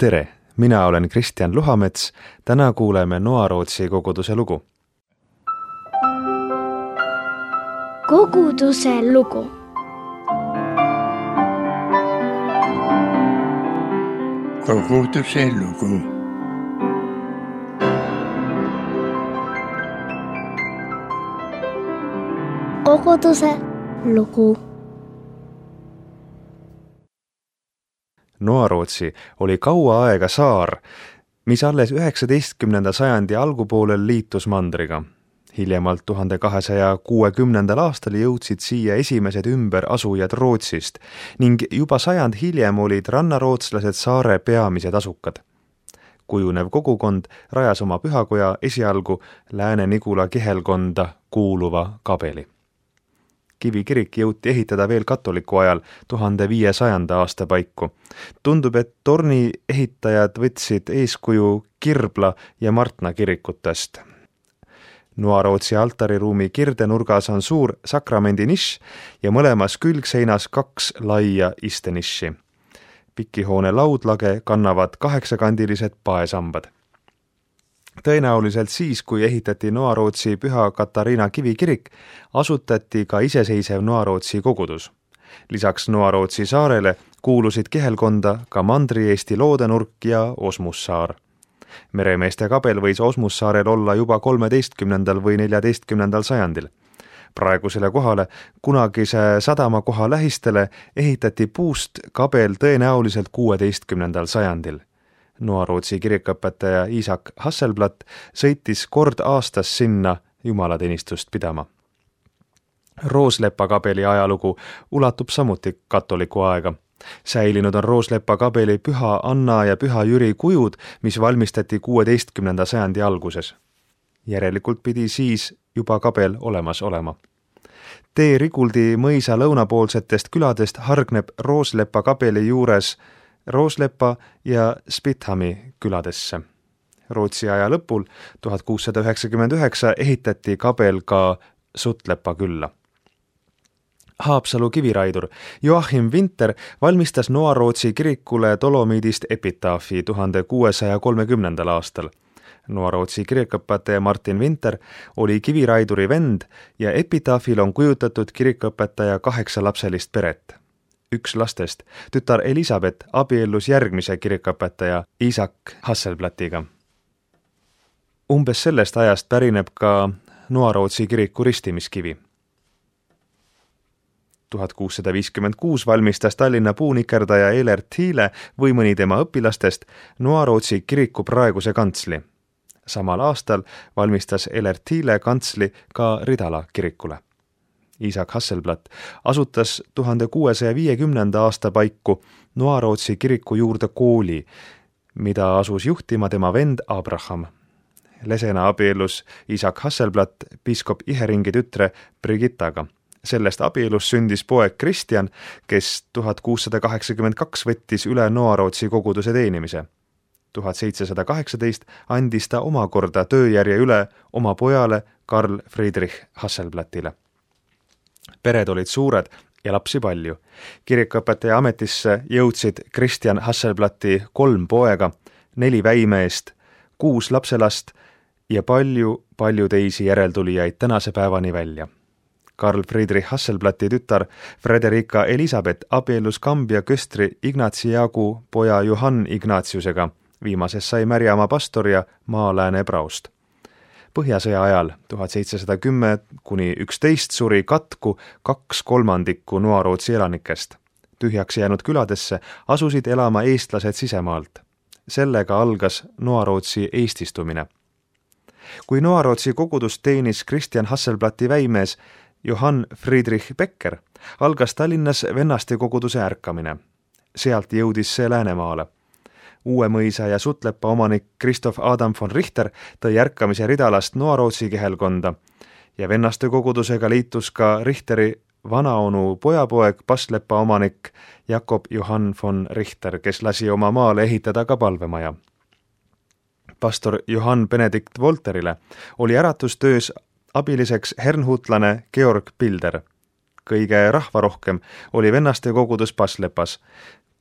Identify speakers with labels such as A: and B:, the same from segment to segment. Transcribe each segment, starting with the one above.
A: Tere, mina olen Kristjan Luhamets. Täna kuuleme Noarootsi koguduse lugu.
B: Koguduse lugu.
C: Koguduse lugu.
B: Koguduse lugu.
A: Noarootsi oli kaua aega saar, mis alles 19. sajandi algupoolel liitus mandriga. Hiljemalt 1260. aastal jõudsid siia esimesed ümberasujad Rootsist ning juba sajand hiljem olid rannarootslased saare peamised asukad. Kujunev kogukond rajas oma pühakoja esialgu Lääne-Nigula kihelkonda kuuluva Kabeli. Kivikirik jõuti ehitada veel katoliku ajal 1500. aasta paiku. Tundub, et torni ehitajad võtsid eeskuju Kirbla ja Martna kirikutest. Noarootsi altariruumi kirdenurgas on suur sakramendi nišš ja mõlemas külgseinas 2 laia istenišši. Pikihoone laudlage kannavad 8-kandilised paesambad. Tõenäoliselt siis, kui ehitati Noarootsi Püha Katariina kivikirik, asutati ka iseseisev Noarootsi kogudus. Lisaks Noarootsi saarele kuulusid kihelkonda ka Mandri-Eesti Loodenurk ja Osmussaar. Meremeeste kabel võis Osmussaarel olla juba 13. või 14. sajandil. Praegusele kohale, kunagise sadamakoha lähistele, ehitati puust kabel tõenäoliselt 16. sajandil. Noarootsi kirikuõpetaja Isak Hasselblad sõitis kord aastas sinna jumalateenistust pidama. Rooslepa kabeli ajalugu ulatub samuti katoliku aega. Säilinud on Rooslepa kabeli Püha Anna ja Püha Jüri kujud, mis valmistati 16. sajandi alguses. Järelikult pidi siis juba kabel olemas olema. Tee Riguldi mõisa lõunapoolsetest küladest hargneb Rooslepa kabeli juures Rooslepa ja Spithami küladesse. Rootsi aja lõpul 1699 ehitati kabel ka Sutlepa külla. Haapsalu kiviraidur Joachim Winter valmistas Noarootsi kirikule Dolomiidist epitaafi 1630. aastal. Noarootsi kirikuõpetaja Martin Winter oli kiviraiduri vend ja epitaafil on kujutatud kirikuõpetaja 8-lapselist peret. Üks lastest, tütar Elisabeth, abiellus järgmise kirikuõpetaja Isak Hasselblatiga. Umbes sellest ajast pärineb ka Noarootsi kiriku ristimiskivi. 1656 valmistas Tallinna puunikerdaja Elert Hiile või mõni tema õpilastest Noarootsi kiriku praeguse kantsli. Samal aastal valmistas Elert Hiile kantsli ka Ridala kirikule. Isak Hasselblad asutas 1650. aasta paiku Noarootsi kiriku juurde kooli, mida asus juhtima tema vend Abraham. Lesena abiellus Isak Hasselblad piiskop Iheringi tütre Brigittaga. Sellest abielus sündis poeg Kristjan, kes 1682 võttis üle Noarootsi koguduse teenimise. 1718 andis ta omakorda tööjärje üle oma pojale Karl Friedrich Hasselbladile. Pered olid suured ja lapsi palju. Kirikuõpetaja ametisse jõudsid Kristjan Hasselblati 3 poega, 4 väimeest, 6 lapselast ja palju teisi järeltulijaid tänase päevani välja. Karl Friedrich Hasselblati tütar Frederika Elisabeth abiellus Kambja köstri Ignatsi Jaagu poja Johann Ignatiusega. Viimases sai Märjamaa pastor ja Maa-Lääne praost. Põhjasõja ajal 1710–11 suri katku 2/3 Noarootsi elanikest. Tühjaks jäänud küladesse asusid elama eestlased sisemaalt. Sellega algas Noarootsi eestistumine. Kui Noarootsi kogudust teenis Kristjan Hasselblati väimees Johann Friedrich Becker, algas Tallinnas vennaste koguduse ärkamine. Sealt jõudis see Läänemaale. Uue mõisa ja Sutlepa omanik Christoph Adam von Richter tõi ärkamise Ridalast Noarootsi kihelkonda ja vennaste kogudusega liitus ka Richteri vanaonu pojapoeg Paslepa omanik Jakob Johann von Richter, kes lasi oma maale ehitada ka palvemaja. Pastor Johann Benedikt Volterile oli äratustöös abiliseks hernhutlane Georg Pilder. Kõige rahvarohkem oli vennaste kogudus Paslepas.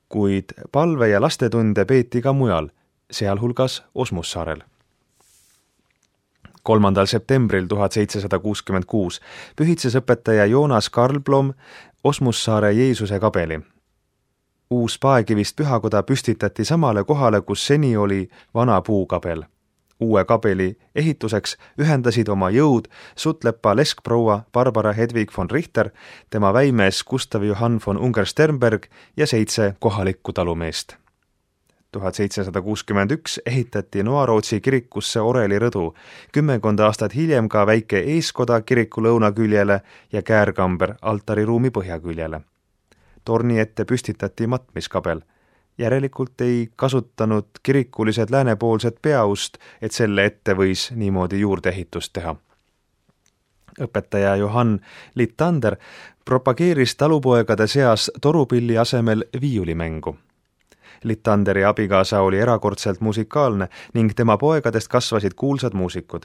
A: kuid palve- ja lastetunde peeti ka mujal, sealhulgas Osmussaarel. 3. septembril 1766 pühitses õpetaja Joonas Karlblom Osmussaare Jeesuse kabeli. Uus paekivist pühakoda püstitati samale kohale, kus seni oli vana puukabel. Uue kabeli ehituseks ühendasid oma jõud Sutlepa leskproua Barbara Hedvig von Richter, tema väimees Gustav Johann von Unger-Sternberg ja 7 kohalikku talumeest. 1761 ehitati Noarootsi kirikusse orelirõdu, 10 aastat hiljem ka väike eeskoda kiriku lõunaküljele ja käärkamber altariruumi põhjaküljele. Torni ette püstitati matmiskabel. Järelikult ei kasutanud kirikulised läänepoolset peaust, et selle ette võis niimoodi juurdeehitust teha. Õpetaja Johann Littander propageeris talupoegade seas torupilli asemel viiulimängu. Littanderi abikaasa oli erakordselt musikaalne ning tema poegadest kasvasid kuulsad muusikud.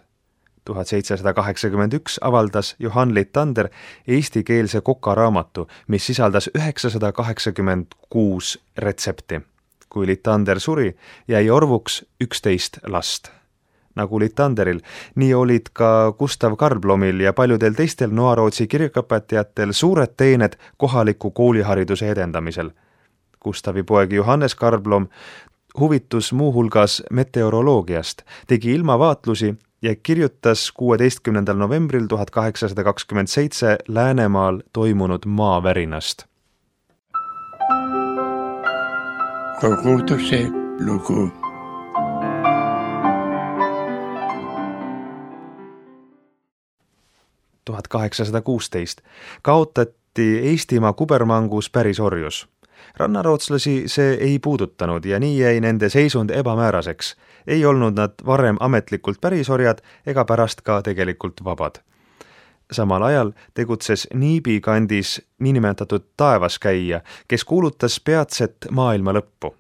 A: 1781 avaldas Johann Littander eestikeelse kokaraamatu, mis sisaldas 986 retsepti. Kui Littander suri, jäi orvuks 11 last. Nagu Littanderil, nii olid ka Gustav Karlblomil ja paljudel teistel Noarootsi kirikuõpetajatel suured teened kohaliku koolihariduse edendamisel. Gustavi poeg Johannes Karlblom huvitus muuhulgas meteoroloogiast, tegi ilmavaatlusi ja kirjutas 16. novembril 1827 Läänemaal toimunud maavärinast.
C: Koguduse lugu.
A: – 1816 kaotati Eestimaa kubermangus pärisorjus. Rannarootslasi see ei puudutanud ja nii jäi nende seisund ebamääraseks. Ei olnud nad varem ametlikult pärisorjad ega pärast ka tegelikult vabad. Samal ajal tegutses Niibi kandis niinimetatud taevaskäija, kes kuulutas peatset maailma lõppu.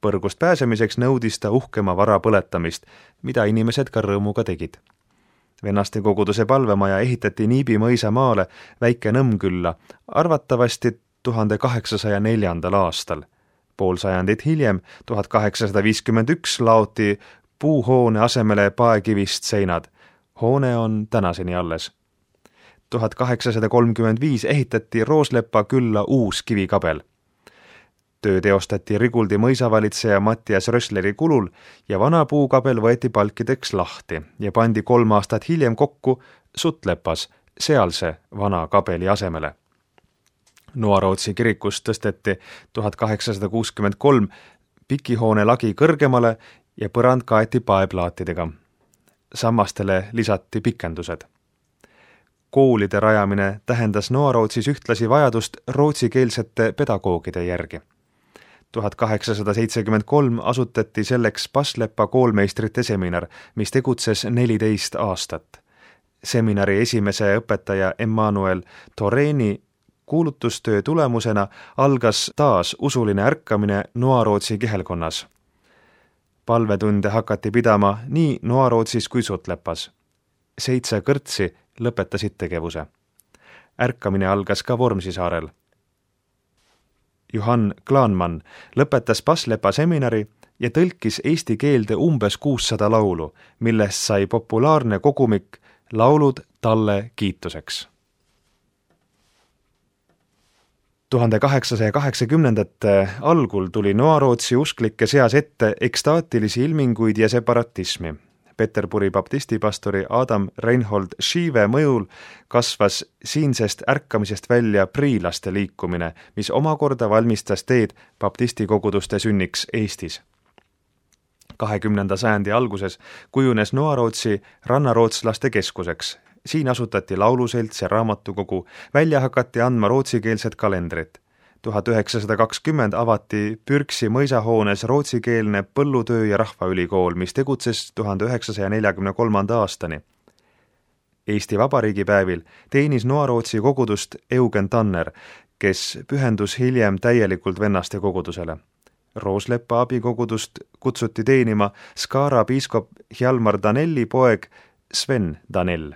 A: Põrgust pääsemiseks nõudis ta uhkema vara põletamist, mida inimesed ka rõõmuga tegid. Vennaste koguduse palvemaja ehitati Niibi mõisa maale väike Nõmmkülla, arvatavasti 1804. aastal. Pool sajandit hiljem, 1851, laoti puuhoone asemele paekivist seinad. Hoone on tänaseni alles. 1835 ehitati Rooslepa külla uus kivikabel. Töö teostati Riguldi mõisavalitseja Mattias Rössleri kulul ja vana puukabel võeti palkideks lahti ja pandi 3 aastat hiljem kokku Sutlepas, sealse vana kabeli asemele. Noarootsi kirikus tõsteti 1863 pikihoone lagi kõrgemale ja põrand kaeti paeplaatidega. Sammastele lisati pikendused. Koolide rajamine tähendas Noarootsis ühtlasi vajadust rootsikeelsete pedagoogide järgi. 1873 asutati selleks Paslepa koolmeistrite seminar, mis tegutses 14 aastat. Seminari esimese õpetaja Emmanuel Toreni kuulutustöö tulemusena algas taas usuline ärkamine Noarootsi kihelkonnas. Palvetunde hakati pidama nii Noarootsis kui Sutlepas. 7 kõrtsi lõpetasid tegevuse. Ärkamine algas ka Vormsisaarel. Johann Klaanmann lõpetas Paslepa seminari ja tõlkis eesti keelde umbes 600 laulu, millest sai populaarne kogumik Laulud talle kiituseks. 1880. algul tuli Noarootsi usklike seas ette ekstaatilisi ilminguid ja separatismi. Peterburi baptistipastori Adam Reinhold Schive mõjul kasvas siinsest ärkamisest välja priilaste liikumine, mis omakorda valmistas teed baptistikoguduste sünniks Eestis. 20. sajandi alguses kujunes Noarootsi rannarootslaste keskuseks. Siin asutati lauluselts ja raamatukogu, välja hakati andma rootsikeelset kalendrit. 1920 avati Pürksi mõisahoones rootsikeelne põllutöö- ja rahvaülikool, mis tegutses 1943. aastani. Eesti Vabariigi päevil teenis Noarootsi kogudust Eugen Tanner, kes pühendus hiljem täielikult vennaste kogudusele. Rooslepa abikogudust kutsuti teenima Skara piiskop Hjalmar Danelli poeg Sven Danell.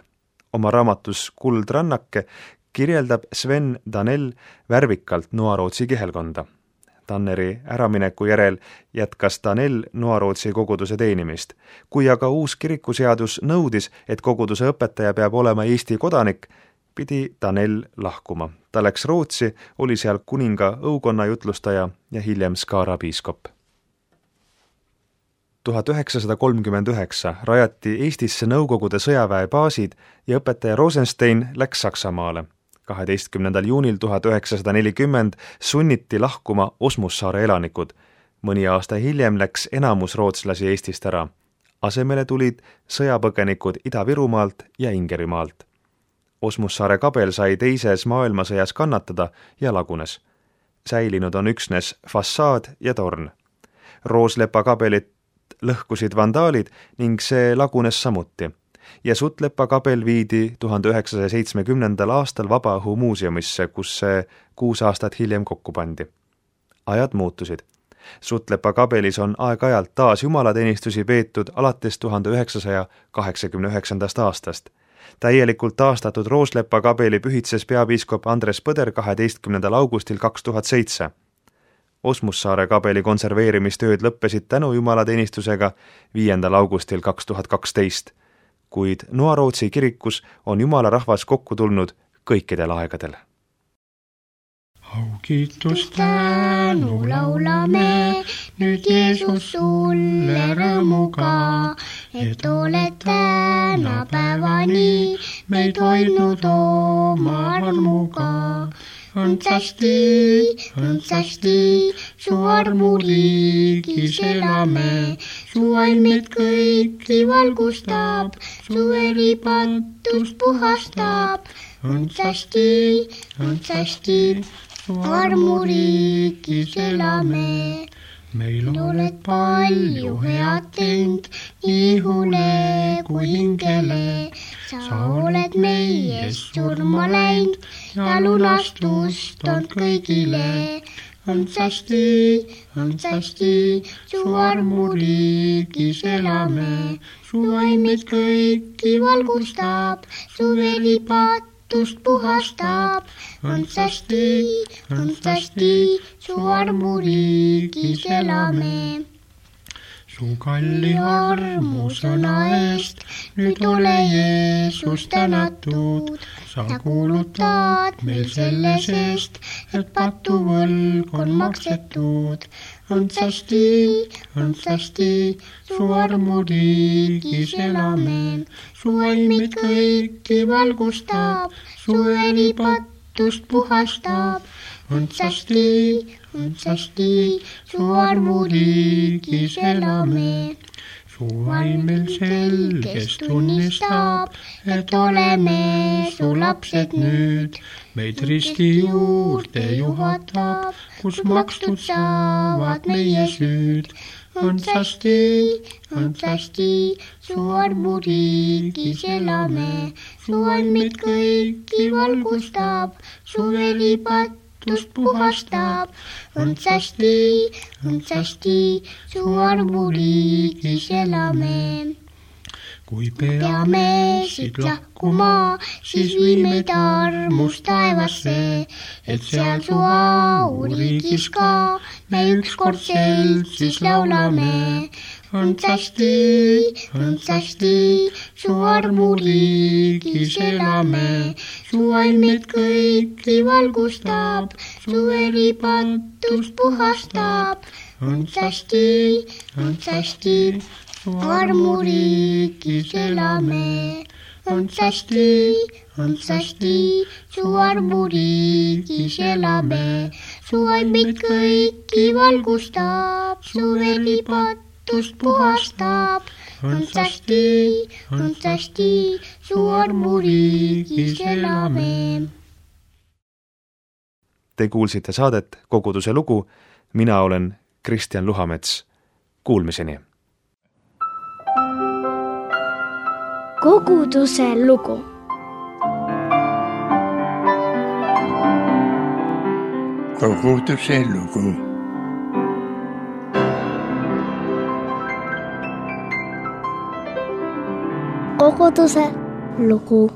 A: Oma raamatus Kuldrannake kirjeldab Sven Danell värvikalt Noarootsi kihelkonda. Tanneri äramineku järel jätkas Danel Noarootsi koguduse teenimist. Kui aga uus kirikuseadus nõudis, et koguduse õpetaja peab olema Eesti kodanik, pidi Danel lahkuma. Ta läks Rootsi, oli seal kuninga õukonna jutlustaja ja hiljem Skara piiskop. 1939 rajati Eestisse Nõukogude sõjaväebaasid ja õpetaja Rosenstein läks Saksamaale. 12. juunil 1940 sunniti lahkuma Osmussaare elanikud. Mõni aasta hiljem läks enamus rootslasi Eestist ära. Asemele tulid sõjapõgenikud Ida-Virumaalt ja Ingerimaalt. Osmussaare kabel sai teises maailmasõjas kannatada ja lagunes. Säilinud on üksnes fassaad ja torn. Rooslepa kabelit lõhkusid vandaalid ning see lagunes samuti. Ja Suttlepa kabel viidi 1970. aastal Vabaõhu muuseumisse, kus see 6 aastat hiljem kokku pandi. Ajad muutusid. Suttlepa kabelis on aeg-ajalt taas jumalateenistusi peetud alates 1989. aastast. Täielikult taastatud Rooslepa kabeli pühitses peapiiskop Andres Põder 12. augustil 2007. Osmussaare kabeli konserveerimistööd lõppesid tänu jumalateenistusega 5. augustil 2012. Kuid Noarootsi kirikus on jumala rahvas kokku tulnud kõikidel aegadel.
C: Kiitus tänu laulame nüüd Jeesus sulle rõõmuga, et oled tänapäevani meid hoidnud oma armuga. Õndsasti, su armuriigis elame, su vaim meid kõiki valgustab, su veripatust puhastab. Õndsasti, su armuriigis elame. Meil oled palju head teinud, nii ihule kui hingele. Sa oled meist surma läinud ja lunastust on kõigile. Õndsasti, su armuriigis elame. Su vaim meid kõiki valgustab, su veripatust puhastab. Õndsasti, su armuriigis elame. Su kalli armusõna eest nüüd ole Jeesus tänatud. Sa kuulutad meil selle seest, et patuvõlg on maksetud. Õndsasti, su armuriigis elame. Su vaim meid kõiki valgustab, su veripatust puhastab. Õndsasti, su armuriigis elame. Su vaim meil selgest tunnistab, et oleme su lapsed nüüd. Meid risti juurde juhatab, kus makstud saavad meie süüd. Õndsasti, su armuriigis elame. Su vaim meid kõiki valgustab, su veripatust puhastab. Õndsasti, su armuriigis elame. Kui peame siit lahkuma, siis vii meid armust taevasse, et seal su auriigis ka me ükskord seltsis laulame. Õndsasti, su armuriigis elame. Su vaim meid kõiki valgustab, su veripatust puhastab. Õndsasti, su armuriigis elame. Õndsasti, su armuriigis elame. Su vaim meid kõiki valgustab, su veripatust puhastab. Õndsasti, su armuriigis elame.
A: Te kuulsite saadet Koguduse lugu. Mina olen Kristjan Luhamets. Kuulmiseni.
B: Koguduse lugu.
C: Koguduse lugu.
B: Koguduse lugu.